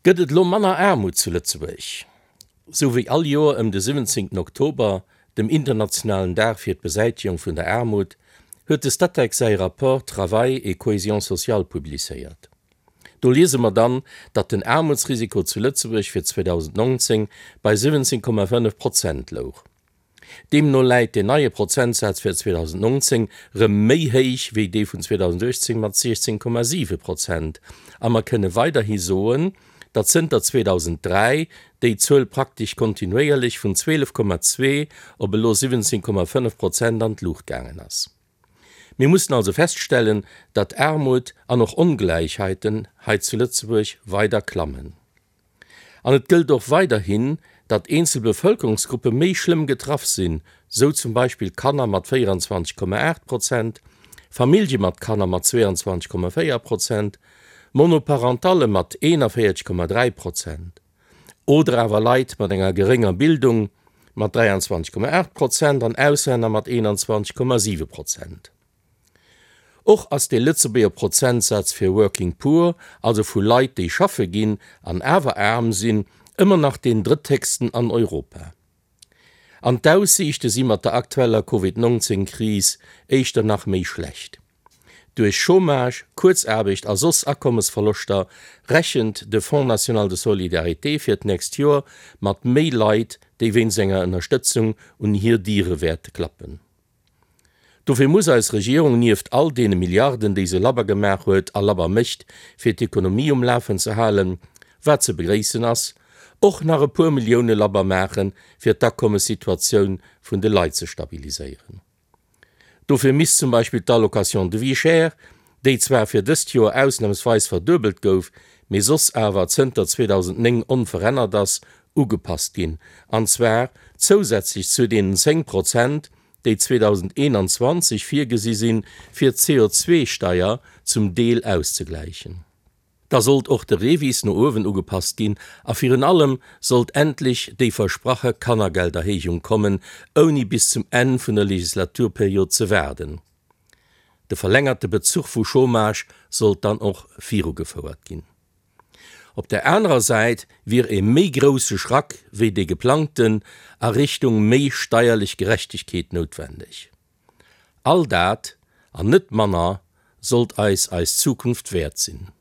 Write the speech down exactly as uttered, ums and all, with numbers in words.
Gëtt et elo manner Aarmut zu Lëtzebuerg? Sou wéi all Joer ëm de siwwenzéngten Oktober, dem internationalen Dag fir d'Besäitegung vun der Aarmut, huet de Statec säi Rapport Travail et cohésion sociale publizéiert. Do liese mer dann, datt den Aarmutsrisiko zu Lëtzebuerg fir zweedausendnonzéng bei siwwenzéng Komma fënnef Prozent louch. Deemno läit deen neie Prozentsaz fir zweedausendnonzéng rëm méi héich wéi dee vun zweedausendachtzéng mat siechzéng Komma siwe Prozent a mer kënne weiderhi soen, datt zënter zweedausendräi déi Zuel praktesch kontinuéierlech vun zwielef Komma zwee op elo siwwenzéng Komma fënnef Prozent an d'Luucht gaangen ass. Mir mussen also feststellen, datt Aarmut an och Ongläichheiten hei zu Lëtzebuerg weider klammen. An et gëllt och weiderhin, datt eenzel Bevëlkerungsgruppe méi schlëmm getraff sinn, sou zum Beispill Kanner mat véieranzwanzeg Komma aacht Prozent, Famillje mat Kanner mat zweeanzwanzeg Komma véier Prozent, Monoparentalle mat eenanvéierzeg Komma dräi Prozent oder awer Leit mat enger gerénger Bildung mat dräianzwanzeg Komma aacht Prozent an Auslänner mat eenanzwanzeg Komma siwe Prozent. Och ass de Lëtzebuerger Prozentsaz fir Working Poor, also vu Leit, déi schaffe ginn an awer aarm sinn, ëmmer nach deen drëtthéchsten an Europa. An d'Aussiichte si mat der aktueller Covid nonzéng Kris éischter nach méi schlecht. Duerch Chômage, Kuerzaarbecht a soss Akommesverloschter rechent de Fonds national de solidarité fir d'nächst Joer mat méi Leit, déi wéinst enger Ënnerstëtzung un hir Diere wäerte klappen. Dofir muss eis Regierung nieft all deene Milliarden, déi se labber gemaach huet a labber mécht, fir d'Ekonomie um Lafen ze halen, wat ze begréissen ass, och nach e puer Millioune labber maachen, fir d'Akommessituatioun vun de Leit ze stabiliséieren. Dofir misst zum Beispill d'Allocation de vie chère, déi zwar fir dëst Joer ausnamsweis verduebelt gouf, mee soss awer zënter zweedausendnéng onverännert ass, ugepasst ginn, an zwar zousätzlech zu deenen zéng Prozent, déi zweedausendeenanzwanzeg virgesi sinn, fir d'C O zwee Steier zum Deel auszegläichen. Da sollt och de REVIS no uewen ugepasst ginn a virun allem sollt endlech déi versprache Kannergelderhéijung kommen, ouni bis zum Enn vun der Legislaturperiod ze waarden. De verlängerte Bezuch vu Chômage sollt dann och virugefouert ginn. Op der anerer Säit wier e méi grousse Schrack wéi dee geplangten a Richtung méi steierlech Gerechtegkeet noutwendeg. All dat, an net manner, sollt eis eis Zukunft wäert sinn.